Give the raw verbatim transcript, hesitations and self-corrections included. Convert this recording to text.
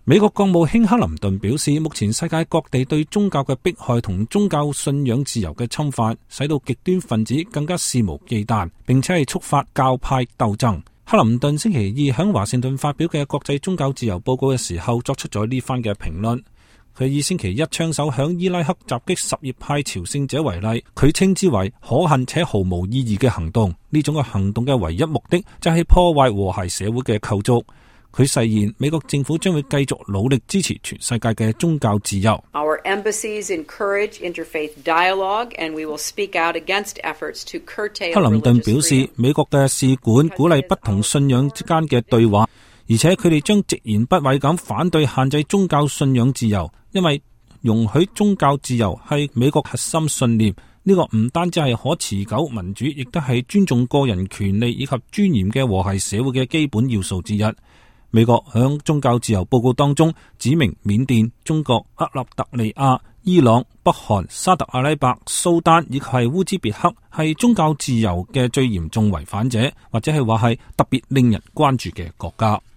美國國務卿克林頓表示，目前世界各地對宗教嘅迫害同宗教信仰自由嘅侵犯，使到極端分子更加肆無忌憚，並且係觸發教派鬥爭。克林頓星期二喺華盛頓發表嘅國際宗教自由報告嘅時候，作出咗呢番嘅評論。佢以星期一槍手響伊拉克襲擊什葉派朝聖者為例，佢稱之為可恨且毫無意義嘅行動。呢種嘅行動嘅唯一目的就係破壞和諧社會嘅構築。佢誓言美國政府將會繼續努力支持全世界嘅宗教自由。Our embassies encourage interfaith dialogue, and we will speak out against efforts to curtail religious freedom. 克林頓表示，美國嘅使館鼓勵不同信仰之間嘅對話，而且佢哋將直言不諱咁反對限制宗教信仰自由，因為容許宗教自由係美國核心信念。呢個唔單止係可持久民主，亦都係尊重個人權利以及尊嚴嘅和諧社會嘅基本要素之一。美國響宗教自由報告當中指明緬甸、中國、克立特利亞、伊朗、北韓、沙特阿拉伯、蘇丹以及係烏茲別克係宗教自由嘅最嚴重違反者，或者係話係特別令人關注嘅國家。